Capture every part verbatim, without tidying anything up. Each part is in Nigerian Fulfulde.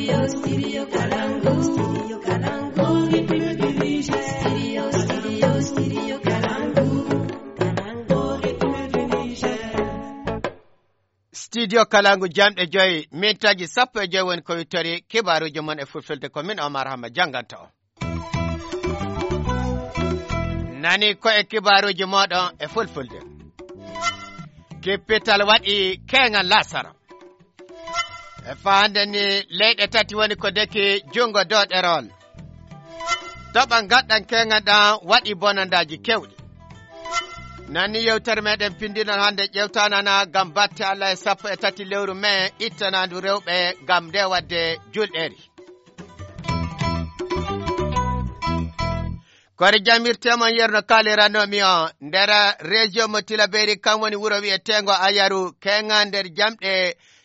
Studio, studio Kalangu. Studio Kalangu. Studio, studio, studio Kalangu. Studio Kalangu jamɗe joyi mintaji sappo e joyi woni ko wittori kibaruji mon e fulfulde ko min Omar Hama janganta o. Nani ko e kibaruji moɗon e fulfulde. Kippital waɗi kengal lasara. E fahande ni leyɗe tati woni ko deki jungo dow ɗerol. Toɓan gaɗɗan kengal ɗan waɗi bonandaji kewɗi. Nani yewtere meɗen pindinon hande ƴewtanana gam batte Allah e sappo e tati lewru me ittanandu rewɓe gam nde wadde julɗeri. Kori jamirtemon yerno kaliranomi o nder région mo Tilaberi kam woni wuro wi'etengo Ayaru kenga nder jamɗe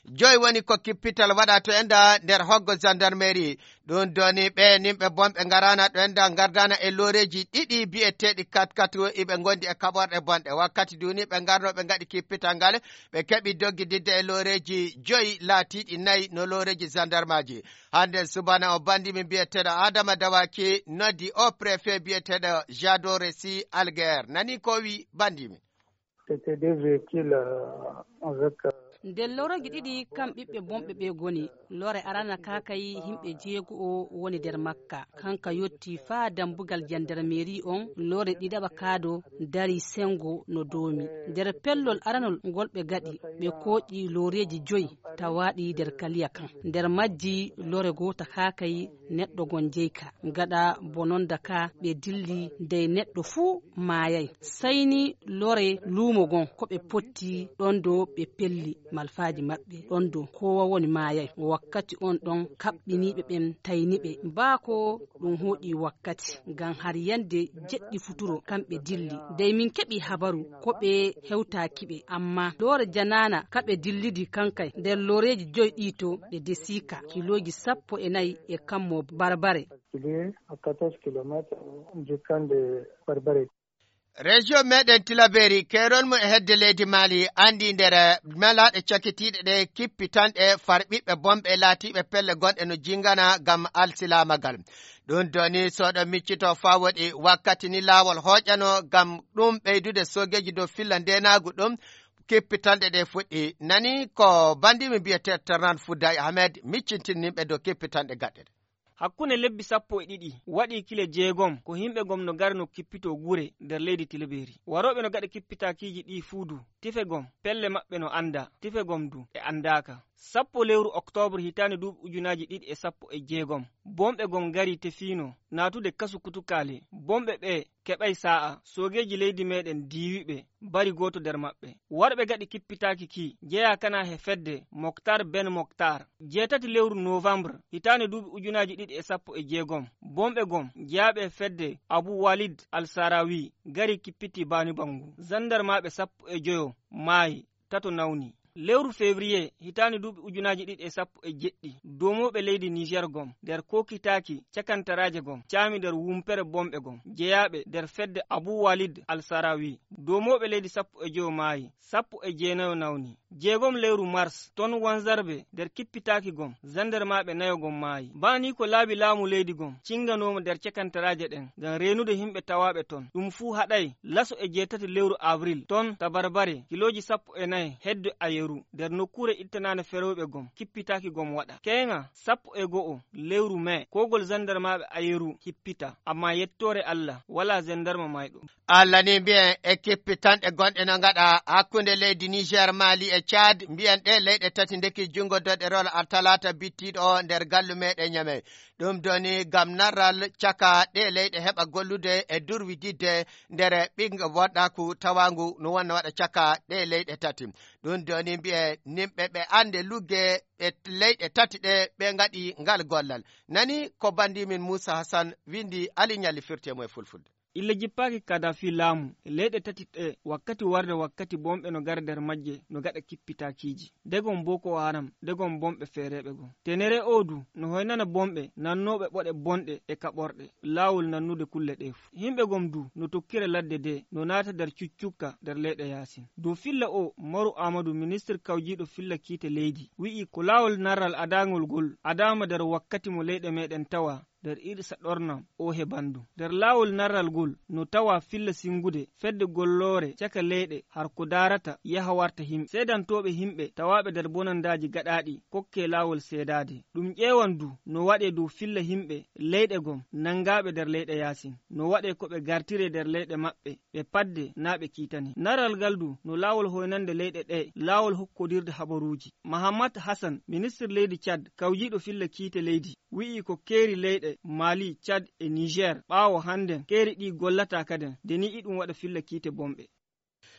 joyi woni ko kippital waɗa to enda nder hoggo gendarmerie ɗum doni ɓe nimɓe bonɓe garana ɗo enda gardana e loreji ɗiɗi bi'eteɗi kat kat iɓe gondi e kaɓorɗe bonɗe wakkati duni ɓe garno ɓe gaɗi kippital ngal ɓe keɓi doggididde e loreji joyi laatiɗi nayyi no loreji gendarmaji hande subana o bandimi bi'eteɗo Adama Dawaki noddi o préfet bi'eteɗo Jado Resi Alguer nani ko wi bandimi. C'était des véhicules euh, avec euh, nder loroji ɗiɗi kam ɓiɓɓe bonɓe ɓe goni lore arana kakayi himɓe jeego o woni nder makka kanka yotti faa dambugal jandarmeri on lore ɗiɗaɓa kaado dari sengo no domi nder pellol aranol ngol ɓe gaɗi ɓe kooƴi loreji joyi tawaɗi nder kaliya kan nder majji lore gota kakayi neɗɗo gon jeyka gaɗa bononda ka ɓe dilli dey neɗɗo fuu mayay sayni lore luumo gon ko ɓe potti ɗon do ɓe pelli malfaji maɓɓe ɗon do kowa woni mayay wakkati on ɗon kaɓɓiniɓe ɓen tayniɓe baako ɗum hoɗi wakkati ngam har yande jeɗɗi futuro kamɓe dilli dey min keɓi habaru ko ɓe hewtakiɓe amma lore janana kaɓe dillidi kankay nder loreji joyi ɗito ɗe desika kiloji sappo e nayyi e kammo barbare Région meɗen Tilaberi kerol mum e hedde leydi Mali andi nder melaɗe cakitiɗe ɗe kippitanɗe farɓiɓe bonɓe laatiɓe pelle gonɗe no jingana gam alsilamagal ɗum doni soɗo miccito fa woɗi wakkati ni lawol hoƴano gam ɗum ɓeydude sogeji dow filla ndenagu ɗum kippitanɗe ɗe fuɗɗi nani ko bandimi mbiyete Tarnan Fouday Ahmed miccintinimɓe dow kippitanɗe gaɗɗe hakkunde lebbi sappo e ɗiɗi waɗi kile jeegom ko himɓe gom no gari no kippito gure nder leydi Tilaberi waroɓe no gaɗa kippitakiji ɗi fuudu tife gom pelle maɓɓe no anda tife gom du e andaka sappo lewru octobre hitande duuɓi ujunaji ɗiɗi e sappo e jeegom bomɓe gom gari tefino natude kasu kutukale bomɓe ɓe keɓay sa'a sogeji leydi meɗen diwiɓe bari goto nder maɓɓe warɓe gaɗi kippitaki ki jeeya kana he fedde Moktar Ben Moktar jeetati lewru novembre hitande duuɓi ujunaji ɗiɗi e sappo e jeegom bomɓe gom jeeyaɓe fedde Abou Walid Al-Sarawi gari kippiti bani bangu zandarmaɓe sappo e joyo maayi tato nawni lewru février hitani duuɓi ujunaji ɗiɗi e sappo e jeɗɗi domoɓe leydi Niger gom nder kokitaki cakantaraje gom caami nder wumpere bomɓe gom jeeyaɓe nder fedde Abou Walid Al-Sarawi domoɓe leydi sappo e joyo maayi sappo e jeenayo nawni jeegom lewru mars ton wanzarɓe nder kippitaki gom zandarmaɓe nayo gom maayi bani ko laabi laamu leydi gom cinganoma nder cakantaraje ɗen ngam renude himɓe tawaɓe ton ɗum fuu haɗay laso e jeetati lewru avril ton tabarbare kiloji sappo e nayi hedde ayeru nder nokkure ittanane ferewɓe gom kippitaki gom waɗa kenga sappo e go'o lewru mai kogol zandarmaɓe ayeru hippita amma yettore Allah wala zandarma mayɗo Allah ni mbiyen e kippitanɗe gonɗe no gaɗa hakkunde leydi Niger Mali e Tchad mbiyen ɗe leyɗe tati ndeki jungo doɗerol talata bittiɗo o nder gallu meɗen Niamey ɗum doni gam narral caka ɗe leyɗe heɓa gollude e durwididde nder ɓinga woɗɗaku tawangu no wonna waɗa caka ɗe leyɗe tati ɗum doni mbiye nimɓe ɓe ande lugge e leyɗe tati ɗe ɓe gaɗi ngal gollal nani ko bandimin Moussa Hassan windi Ali Nyalli firtemo e fulfulde ille jippaki Kadafi laamu e leyɗe tati ɗe wakkati warde wakkati bomɓe no gara nder majje no gaɗa kippitakiiji degon Boko Haram degon bomɓe feereɓe gon tenere odu no hoynana bomɓe nannoɓe ɓoɗe bonɗe e kaɓorɗe laawol nannude kulle ɗe fu himɓe gom du no tokkire ladde de no naata nder cuccukka nder leyɗe Yasin dow filla o Maru Amadou ministre kawjiɗo filla kiite leydi wi'i ko laawol narral adangol gol adama nder wakkati mo leyɗe meɗen tawa nder irsa ɗornam o hebandu nder laawol narral gol no tawa filla singude fedde golloore caka leyɗe har ko darata yaha warta himɓe seedantoɓe himɓe tawaɓe nder bonandaji gaɗaɗi kokke laawol seedade ɗum ƴeewan du no waɗe dow filla himɓe leyɗe gom nangaɓe nder leyɗe Yasin no waɗe ko ɓe gartire nder leyɗe maɓɓe ɓe padde na ɓe kiitani narral gal du no laawol hoynande leyɗe ɗe laawol hokkodirde habaruji Mahamad Hassan ministre leydi Tchad kawjiɗo filla kiite leydi wi'i ko keeri leyɗe Mali, Chad e Niger ɓaawo handen keeri ɗi gollata kaden deni iɗum waɗa filla kiite bomɓe.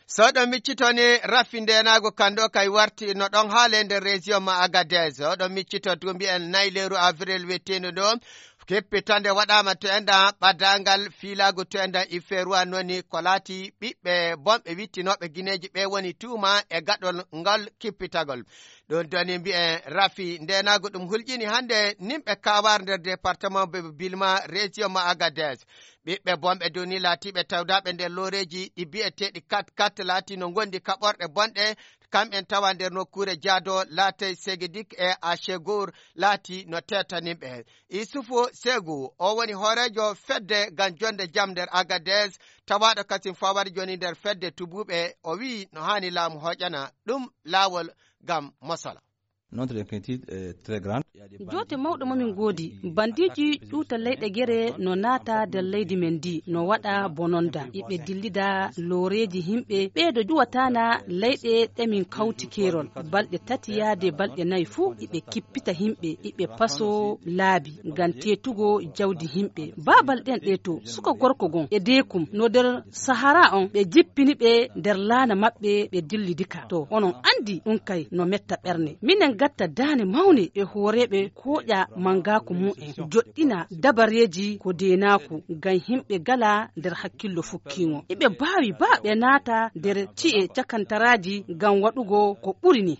soɗo miccitoni raffindenago kando kay warti no ɗon haale nder région ma Agadez oɗo miccito to mbi'en nayleru avril wettino ɗo keppitande waɗama to enda ɓaddangal filago to enda iferuwa noni ko laati ɓiɓɓe bomɓe wittinoɓe guineji ɓe woni tuuma e gaɗol ngol kippitagol ɗon doni mbi'en rafi ndenago ɗum hulƴini hande nimɓe kawar nder département be bilma région ma Agadez ɓiɓɓe bomɓe doni laatiɓe tawdaɓe nder loreji ɗi bi'eteɗi kat kat laati no gondi kaɓorɗe bonɗe kamɓen tawa nder nokkure jaado laatay Segedik e Achegour laati no tetanimɓe Isufu Segu o woni horejo fedde gam jonde jam nder Agadez tawaɗo kasim fawari joni nder fedde tubuɓe o wi no hani laamu hoƴana ɗum laawol gam masala. Notre inquiétude est très grande. Jote mawɗo momin goodi bandiji ɗuuta leyɗe gere no naata nder leydi men ndi no waɗa bononda iɓe dillida loreji himɓe ɓeeɗo ƴuwatana leyɗe ɗemin kawti kerol balɗe tati yaade balɗe nayi fuu iɓe kippita himɓe iɓe paso laabi ngam tetugo jawdi himɓe babal ɗen ɗe to suka gorko gon e dekum no nder sahara on ɓe jippini ɓe nder laana maɓɓe ɓe dillidika to onon andi ɗum kay no metta ɓerne minen gatta daane mawne e hooreɓe koƴa mangaku mu'en joɗɗina dabareji ko denaku ngam himɓe gala nder hakkillo fukkiŋo eɓe baawi ba ɓe naata nder ci'e cakantaraji ngam waɗugo ko ɓuri ni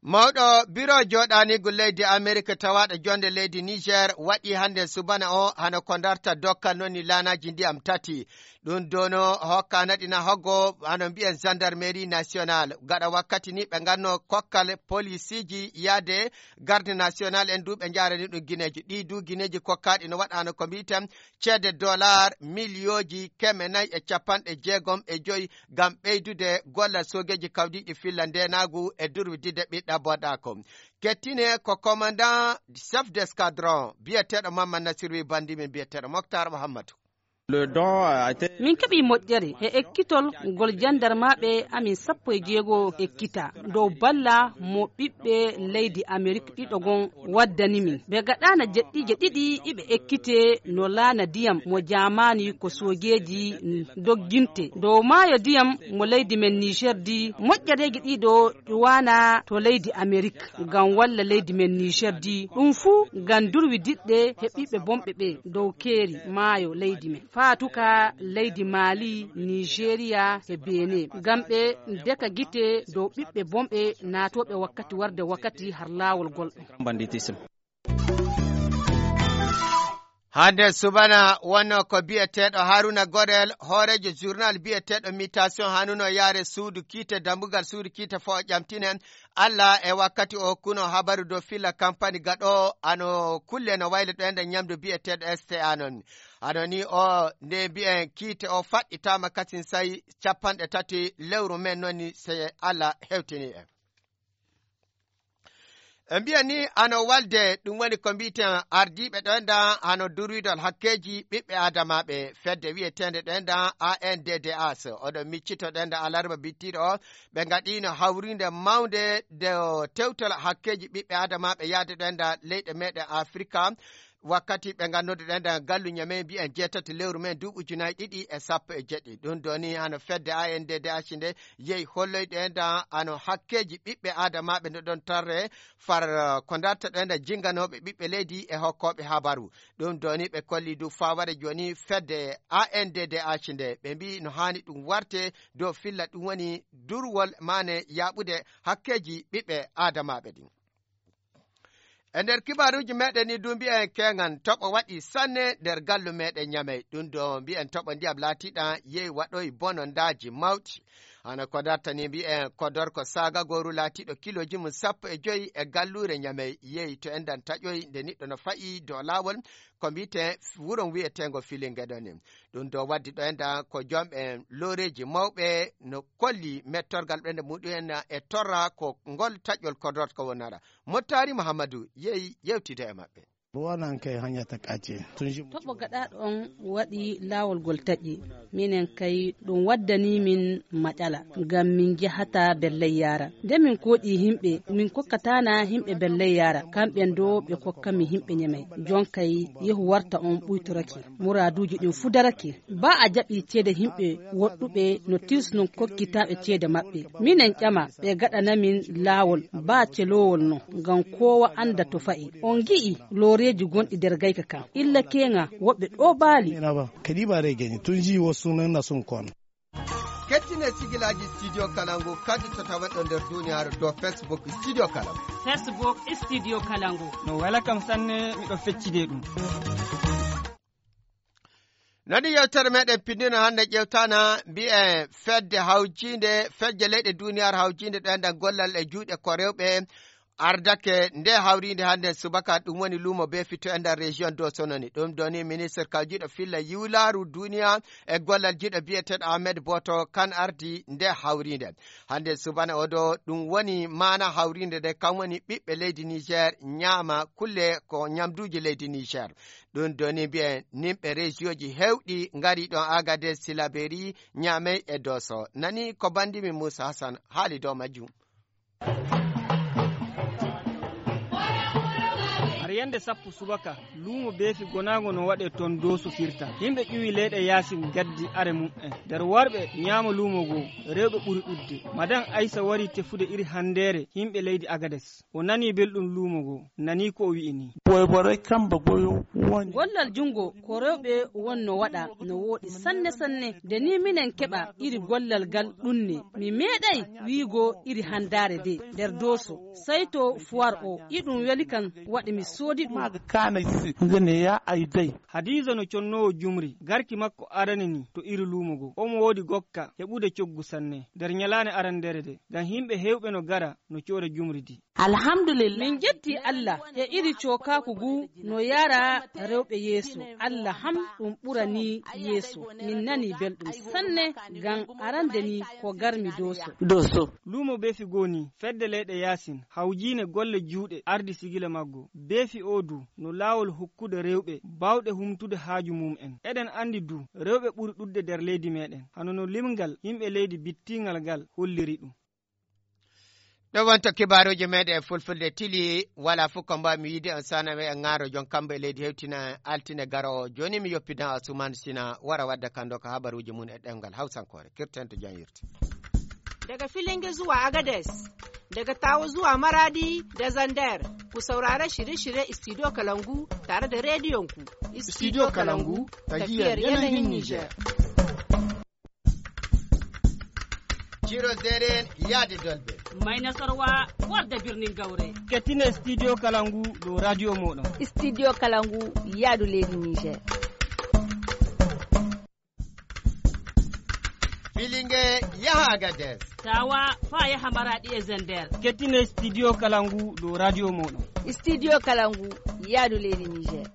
mawɗo biro joɗanigu leydi Amerique tawaɗo jonde leydi Niger waɗi hande subana o hano ko darta dokka noni laanaji ndiyam tati ɗum dono hokka naɗina hoggo hano mbiyen gendarmerie nationale gaɗa wakkati ni ɓe ganno kokkal policiji yaade garde national en du ɓe jarani ɗum guineji ɗi du guineji kokkaɗi no waɗano ko mbiten ceede dollar milioji keme nayyi e capanɗe jeegom e joyi gam ɓeydude golla sogeji kawdiɗi filla ndenagu e durwidide ɓiɗɗa boɗako kettine ko commandant chef d'escadron biyeteɗo Mamman Nasiru bandi min biyeteɗo Moktar Mahamadou. min keɓi moƴƴere e ekkitol ngol jandarmaɓe amin sappo e jeego ekkita dow balla mo ɓiɓɓe leydi Amérique ɗiɗo gon waddani min ɓe gaɗana jeɗɗije ɗiɗi iɓe ekkite no laana diyam mo jamani ko sogeji dogginte dow maayo diyam mo leydi men Niger di moƴƴereji ɗiɗo ƴuwana to leydi Amérique ngam walla leydi men Niger di ɗum fuu ngam durwi diɗɗe he ɓiɓɓe bomɓe ɓe dow keeri maayo leydi men fatuka leydi Mali, Nigeria e Benin ngam ɓe deka gite dow ɓiɓɓe bomɓe natoɓe wakkati warde wakkati har laawol gol hande subana wonno ko biyeteɗo Haruna Godel horejo journal biyeteɗo mutation hanuno yaare suudu kiite dambugal suudu kiite fo ƴamtinen Allah e wakkati o hokkuno habaru do filla campagne gaɗo ano kulle no wayle ɗo ende ñamdu biyeteɗo S T A non ano ni o nde mbiyen kiite o faɗɗitama kasin sayi capanɗe tati lewru men nonni se Allah hewtini en e mbiya ni ano walde ɗum woni ko mbiten ardiɓe ɗo enda hano durwidol hakkeji ɓiɓɓe adamaɓe fedde wiyetende ɗo enda A N D D A S oɗo miccito ɗo enda alarba bittiɗo o ɓe gaɗino hawrinde mawde de tewtal hakkeji ɓiɓɓe adamaɓe yaade ɗo enda leyɗe meɗen Afrika wakkati ɓe ganduɗo ɗen da gallu nyame mbi'en jeetati lewru men duuɓi ujunaje ɗiɗi e sappo e jeɗɗi ɗum doni hano fedde A N D D H nde yehi holloyɗo en da ano hakkeji ɓiɓɓe adamaɓe nde ɗon tarre far ko darta ɗo en da jinganoɓe ɓiɓɓe leydi e hokkoɓe habaru ɗum doni ɓe kolli du faware joni fedde A N D D H nde ɓe mbi no hani ɗum warte dow filla ɗum woni durwol mane yaɓude hakkeji ɓiɓɓe adamaɓe ɗin. E nder kibaruji meɗen ni du mbi'en kengan toɓo waɗi sanne nder gallu meɗen nyamey ɗum do mbi'en toɓo ndiyam laatiɗa yehi waɗoyi bonondaji mawɗi hana ko dartani mbi'en kodorko saga goru laatiɗo kiloji mum sappo e joyi e gallure nyamey yehi to en dan taƴoyi nde niɗɗo no fa'i dow lawol ko mbite wuron wi'etengo filingeɗoni ɗum do waddi ɗo enda ko jomɓe loreji mawɓe no kolli mettorgal ɓende muɗum e torra ko ngol taƴol kodorko wonara Mottari Muhammadu yehi yewtide e maɓɓe. ruwanan kai hanya ta kace tun shi toɓo gaɗa ɗon waɗi laawol gol taƴi minen kay ɗum waddani min maƴala ngam min jahata belley yara nde min koɗi himɓe min kokkatana himɓe belley yara kamɓen do ɓe kokkami himɓe ñamay jon kay yehu warta on ɓuytorake muraduji ɗin fu darake ba a jaɓi ceede himɓe woɗɗuɓe no tisnon kokkitaɓe ceede maɓɓe minen ƴama ɓe gaɗanamin laawol ba celowol no ngam kowa anda to fa'i on gi'i reji gonɗi nder gayka kan illa kenga woɓɓe ɗo baali kadi ba regeni tun ji wasu nan na sun kon kettine sigilaji studio kalangu kadi to tawaɗo nder duniyaaru dow Facebook studio kalangu Facebook studio kalangu no wala kam sanne miɗo feccide ɗum nani yewtere meɗen pindino hande ƴewtana mbi'e fedde hawjinde fedde leyɗe duniyaaru hawjinde ɗo enɗan gollal e juuɗe ko rewɓe ardake nde hawrinde hande subaka ɗum woni lumo be fito e nder région do sononi ɗum doni ministre kawjiɗo filla yiwlaru duniya e gollal jiɗo biyeteɗo Ahmed Boto kan ardi nde hawrinde hande subana oɗo ɗum woni mana hawrinde nde kam woni ɓiɓɓe leydi Niger ñaama kulle ko ñamduji leydi Niger ɗum doni mbi'en nimɓe région ji hewɗi ngari ɗon Agadez Silaberi Niamey e Doso nani ko bandimi Moussa Hassan haali dow majjum. yande sappo subaka lumo beefi gonago no waɗe ton dosu firta himɓe ƴuwi leyɗe yasin gaddi are mum'en nder warɓe ñaama lumo goo rewɓe ɓuri ɗudde madan Aissa wari tefude iri handere himɓe leydi Agades o nani belɗum lumo goo nani ko o wi'ini boybore kamba goyo woni gollal jungo ko rewɓe wonno waɗa no woɗi sanne sanne de ni minen keɓa iri gollal gal ɗunne mi meeɗay wiigo iri handare de nder doso sai to foire o iɗum weli kan waɗi mi sodi ɗum kana ngene ya aidai Hadiza no connowo jumri garki makko arani ni to iri lumugo omo wodi gokka heɓude coggu sanne nder nyalane arandere de ngam himɓe hewɓe no gara no coore jumri di alhamdulillah min jetti Allah e iri cokaku gu no yara rewɓe yeeso Allah ham ɗum ɓurani yeeso min nani belɗum sanne ngam arande ni ko garmi doso doso lumo beefi goni fedde leyɗe yasin hawjine golle juuɗe ardi sigila maggo beefi odu no laawol hokkude rewɓe bawɗe humtude haaju mum'en eɗen andi du rewɓe ɓuri ɗudde nder leydi meɗen hano no limgal yimɓe leydi bittingal ngal holliri ɗum ɗo wonto kibaruji meɗen e fulfulde tili wala fof ko mbawmi yiide on saname e ŋaaro jon kamɓe e leydi hewtina altine garowo joni mi yoppida Asuman Sina wara wadda kando ko habaruji mun e ɗemgal hawsankore kirten to janyirti daga Filinge zuwa Agades, daga Tawo zuwa Maradi da Zandar. Ku saurara shirye-shirye Studio Kalangu tare da rediyonku. Studio Kalangu, tafiyar yanayin Niger. Ciro Zeren Yadi Dolbe. Mai nasarwa wadda birnin Gaure. kettine Studio Kalangu do radio moɗon. Studio Kalangu Yadu leydi Niger. Filinge yaha Agades. Tawa fa yaha Maradi e Zender. kettine Studio Kalangu do radio moɗon. Studio Kalangu Yadu leydi Niger.